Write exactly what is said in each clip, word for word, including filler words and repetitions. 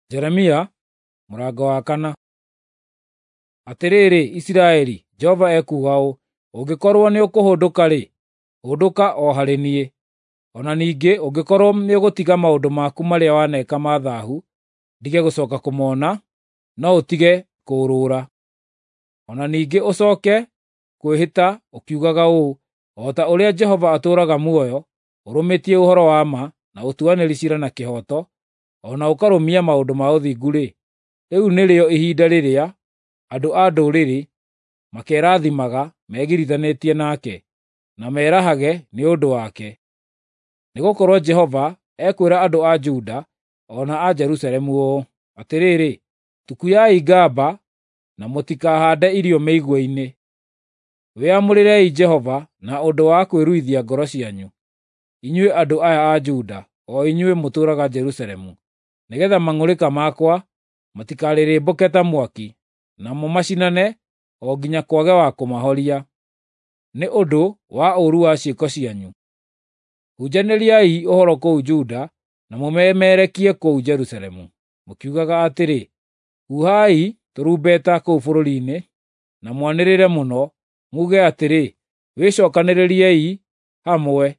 Jeremia mũrango wa kana. Atĩrĩrĩ Isiraeli, Jehova ekuuga ũũ: Ũngĩkorwo nĩũkũhũndũka-rĩ, hũndũka o harĩ niĩ. O na ningĩ ũngĩkorwo nĩũgũtiga maũndũ maku marĩa waneka ma thaahu, ndige gũcooka kũmona, no ũtige kũũrũra. O na ningĩ ũcooke kwĩhĩta ũkiugaga ũũ, ‘O ta ũrĩa Jehova atũũraga muoyo, ũrũmĩtie ũhoro wa ma, na ũtuanĩri ciira na kĩhooto, o na ũkarũmia maũndũ ma ũthingu-rĩ, rĩu nĩrĩo ihinda rĩrĩa andũ a ndũrĩrĩ makerathimaga megirithanĩtie nake, na merahage nĩ ũndũ wake. Nĩgũkorwo Jehova ekwĩra andũ a Juda o na a Jerusalemu ũũ: Atĩrĩrĩ, tukuyai ngamba na mũtikahaande irio mĩigua-inĩ. Wĩamũrĩrei Jehova na ũndũ wa kwĩruithia ngoro cianyu, inyuĩ andũ aya a Juda, o inyuĩ mũtũũraga Jerusalemu, nĩgeetha mang'ũrĩka makwa matikarĩrĩmbũke ta mwaki, namo macinane o nginya kwage wa kũmahoria, nĩ ũndũ wa ũũru wa ciĩko cianyu. Hunjanĩriai ũhoro kũu Juda na mũmemerekie kũu Jerusalemu, mũkiugaga atĩrĩ, ‘Huhai tũrumbeta kũu bũrũri-inĩ, na mwanĩrĩre mũno, muuge atĩrĩ, “Wĩcookanĩrĩriei hamwe,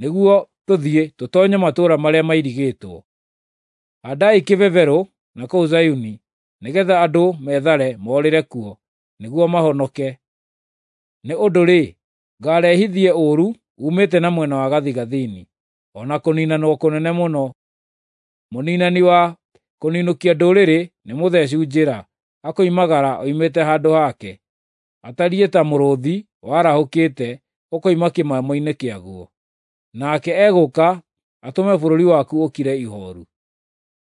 nĩguo tũthiĩ tũtoonye matũũra marĩa mairigĩtwo.” Haandai kĩbeberũ na kũu Zayuni, nĩgeetha andũ methare moorĩre kuo, nĩguo mahonoke. Nĩ ũndũ-rĩ, ngaarehithie ũũru uumĩte na mwena wa gathigathini, o na kũniinanwo kũnene mũno. Mũniinani wa kũninũkia ndũrĩrĩ nĩmũtheecu njĩra, akoimagara oimĩte handũ hake, atariĩ ta mũrũũthi warahũkĩte ũkoima kĩmamo-inĩ kĩaguo. Nake egũũka atũme bũrũri waku ũkire ihooru,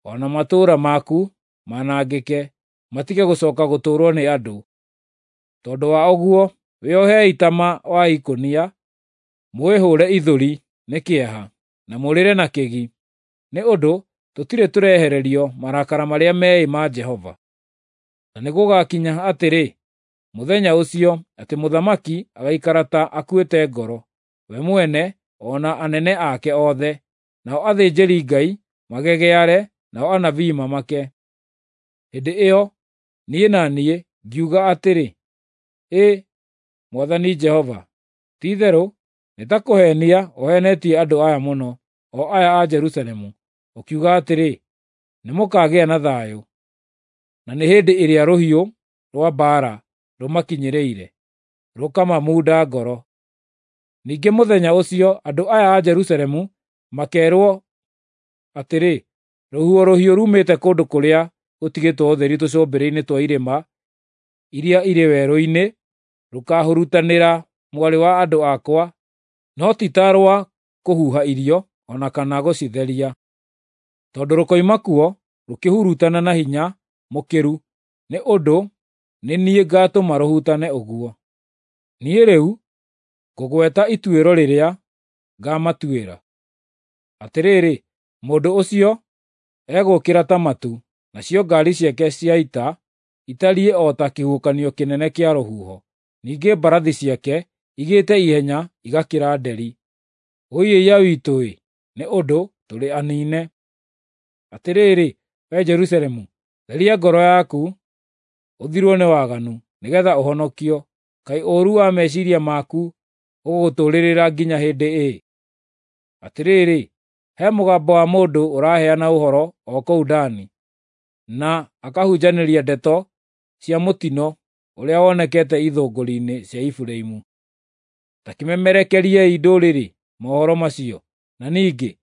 o na matũũra maku manangĩke, matige gũcooka gũtũũrwo nĩ andũ. Tondũ wa ũguo, wĩohei taama wa ikũnia, mwĩhũre ithũri nĩ kĩeha, na mũrĩre na kĩgi, nĩ ũndũ tũtirĩ tũrehererio marakara marĩa meĩ ma Jehova. Na nĩgũgakinya atĩrĩ, mũthenya ũcio, atĩ mũthamaki agaikara ta akuĩte ngoro, we mwene o na anene ake othe, nao athĩnjĩri-Ngai magegeare, nao anabii mamake. Hĩndĩ ĩyo niĩ na niĩ ngiuga atĩrĩ, “Ĩ Mwathani Jehova, ti-itherũ nĩ ta kũheenia ũheenetie andũ aya mũno, o aya a Jerusalemu, ũkiuga atĩrĩ, ‘Nĩmũkagĩa na thayũ,’ na nĩ hĩndĩ ĩrĩa rũhiũ rwa mbaara rũmakinyĩrĩire, rũkamamunda ngoro. Ningĩ mũthenya ũcio andũ aya a Jerusalemu makeerwo atĩrĩ, ‘Rũhuho rũhiũ ruumĩte kũndũ kũrĩa gũtigĩtwo ũtheri tũcũmbĩrĩ-inĩ twa irĩma iria irĩ werũ-inĩ rũkaahurutanĩra mwarĩ wa andũ akwa, no ti ta rwa kũhuha irio o na kana gũcitheria. Tondũ rũkoima kuo rũkĩhurutana na hinya mũkĩru, nĩ ũndũ nĩ niĩ ngaatũma rũhurutane ũguo. Niĩ rĩu ngũgweta ituĩro rĩrĩa ngaamatuĩra. Atĩrĩrĩ, mũndũ ũcio egũũkĩra ta matu, nacio ngaari ciake cia ita itariĩ o ta kĩhuhũkanio kĩnene kĩa rũhuho, ningĩ mbarathi ciake igĩte ihenya igakĩra nderi. Wũi-ĩiya witũ-ĩ, nĩ ũndũ tũrĩ aniine! Atĩrĩrĩ, wee Jerusalemu, theria ngoro yaku ũthirwo nĩ waganu, nĩgeetha ũhonokio. Kaĩ ũũru wa meciiria maku ũgũgũtũũrĩrĩra nginya hĩndĩ ĩ? Atĩrĩrĩ, he mũgambo wa mũndũ ũraheana ũhoro o kũu Dani, na akahunjanĩria ndeto cia mũtino ũrĩa wonekete ithũngũri-inĩ cia Efiraimu. Ta kĩmemerekeriei ndũrĩrĩ mohoro macio, na ningĩ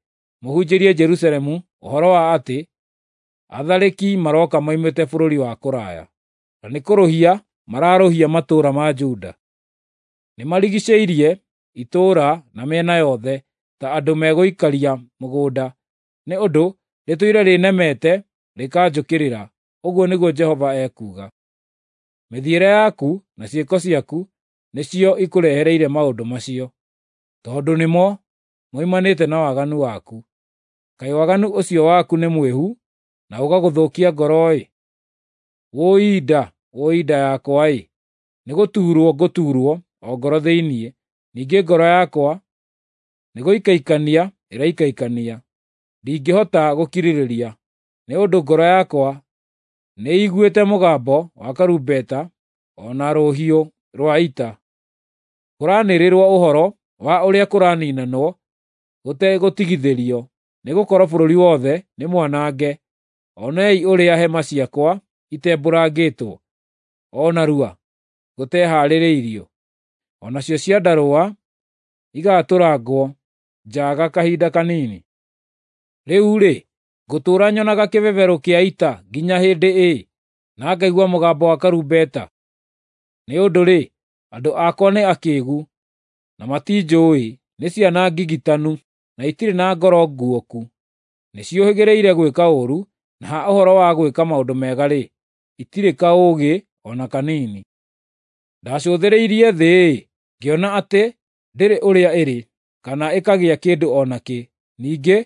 mũhunjĩrie Jerusalemu ũhoro wa atĩ atharĩki marooka moimĩte bũrũri wa kũraya, na nĩkũrũhia mararũhia matũũra ma Juda. Nĩmarigiicĩirie itũũra na mĩena yothe ta andũ megũikaria mũgũnda, nĩ ũndũ rĩtũire rĩnemete rĩkanjũkĩrĩra, ũguo nĩguo Jehova ekuuga. Mĩthiĩre yaku na ciĩko ciaku nĩcio ikũrehereire maũndũ macio, tondũ nĩmo moimanĩte na waganu waku. Kaĩ waganu ũcio waku nĩ mwĩhu na ũgagũthũkia ngoro-ĩ! Wũi nda, wũi nda yakwa-ĩ! Nĩgũtuurwo ngũtuurwo o ngoro thĩinĩ, ningĩ ngoro yakwa nĩgũikaikania ĩraikaikania. Ndingĩhota gũkirĩrĩria, Nĩ ũndũ ngoro yakwa nĩĩiguĩte mũgambo wa karumbeta o na rũhiũ rwa ita. Kũraanĩrĩrwo ũhoro wa ũrĩa kũraniinanwo gũtegũtigithĩrio, nĩgũkorwo bũrũri wothe nĩ mwanange. Onei ũrĩa hema ciakwa itembũrangĩtwo o narua gũtehaarĩirio, o nacio ciandarũa igaatũrangwo njaaga kahinda kanini. Rĩu-rĩ, ngũtũũra nyonaga kĩbebero kĩa ita nginya hĩndĩ ĩ, na ngaigua mũgambo wa karumbeta? Nĩ ũndũ-rĩ, andũ akwa nĩ akĩĩgu, na matinjũũĩ, nĩ ciana ngigitanu, na itirĩ na ngoro nguũku. Nĩciũhĩgĩrĩire gwĩka ũũru, na ha ũhoro wa gwĩka maũndũ mega-rĩ, itirĩ kaũũgĩ o na kanini. Ndacũthĩrĩirie thĩ-ĩ, ngĩona atĩ ndĩrĩ ũrĩa ĩrĩ, kana ĩkagĩa kĩndũ o nakĩ. Ningĩ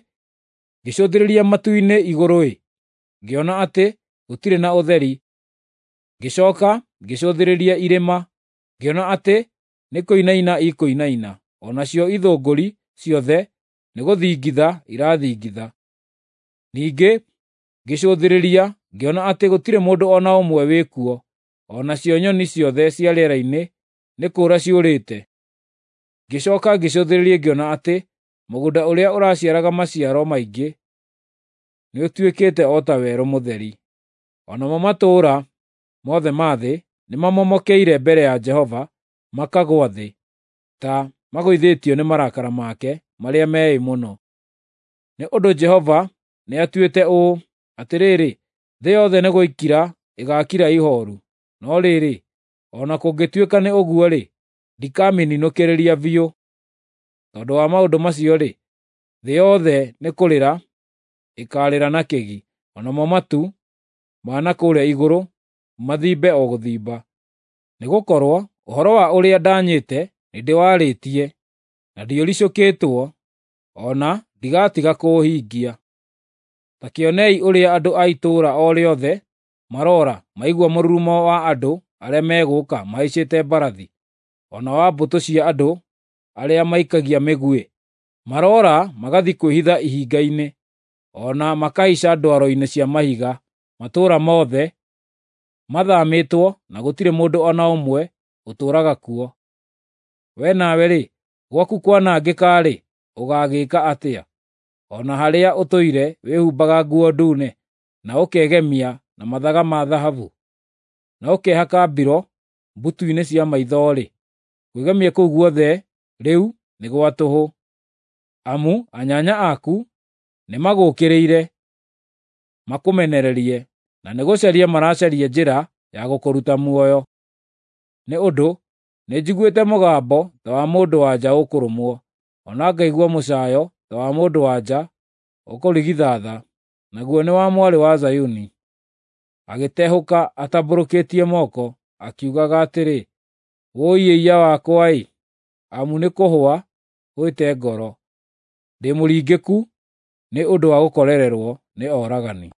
ngĩcũthĩrĩria matu-inĩ igũrũ-ĩ, ngĩona atĩ gũtirĩ na ũtheri. Ngĩcooka ngĩcũthĩrĩria irĩma, ngĩona atĩ nĩkũinaina ikũinaina, o nacio ithũngũri ciothe nĩgũthingitha irathingitha. Ningĩ ngĩcũthĩrĩria ngĩona atĩ gũtirĩ mũndũ o na ũmwe wĩkuo, o nacio nyoni ciothe cia rĩera-inĩ nĩ kũũra ciũrĩte. Ngĩcooka ngĩcũthĩrĩria ngĩona atĩ mũgũnda ũrĩa ũraciaraga maciaro maingĩ nĩũtuĩkĩte o ta werũ mũtheri. O namo matũũra mothe ma thĩ nĩmamomokeire mbere ya Jehova makagũa thĩ, ta magũithĩtio nĩ marakara make marĩa meĩ mũno. Nĩ ũndũ Jehova nĩatuĩte ũũ, atĩrĩrĩ, thĩ yothe nĩgũikira ĩgaakira ihooru. No rĩrĩ, o na kũngĩtuĩka nĩ ũguo-rĩ, ndikamĩninũkĩrĩria biũ. Tondũ wa maũndũ macio-rĩ, thĩ yothe nĩkũrĩra ĩkaarĩra na kĩgi, o namo matu ma na kũrĩa igũrũ mathimbe o gũthimba. Nĩgũkorwo ũhoro wa ũrĩa ndanyĩte nĩndĩwarĩtie, na ndiũricũkĩtwo, o na ndigatiga kũũhingia. Ta kĩonei ũrĩa andũ a itũũra o rĩothe maroora maigua mũrurumo wa andũ arĩa megũũka mahaicĩte mbarathi, o na wa mbũtũ cia andũ arĩa maikagia mĩguĩ. Maroora magathiĩ kwĩhitha ihinga-inĩ, o na makahaica ndwaro-inĩ cia mahiga. Matũũra mothe mathaamĩtwo na gũtirĩ mũndũ o na ũmwe ũtũũraga kuo. Wee nawe-rĩ, gwaku kwanangĩka-rĩ, ũgaagĩka atĩa? O na harĩa ũtũire wĩhumbaga nguo ndune, na ũkegemia na mathaga ma thahabu, na ũkehaka mbiro mbutu-inĩ cia maitho-rĩ, kwĩgemia kũu guothe rĩu nĩ gwa tũhũ. Amu anyanya aku nĩmagũũkĩrĩire makũmenererie, na nĩgũcaria maracaria njĩra ya gũkũruta muoyo. Nĩ ũndũ nĩnjiguĩte mũgambo ta wa mũndũ-wa-nja ũkũrũmwo, o na ngaigua mũcaayo ta wa mũndũ-wa-nja ũkũrigithatha, naguo nĩ wa mwarĩ wa Zayuni, agĩtehũka atambũrũkĩtie moko, akiugaga atĩrĩ, “Wũi-ĩiya-wakwa-ĩ, amu nĩkũhũa hũĩte ngoro! Ndĩ mũringĩku nĩ ũndũ wa gũkorererwo nĩ oragani.”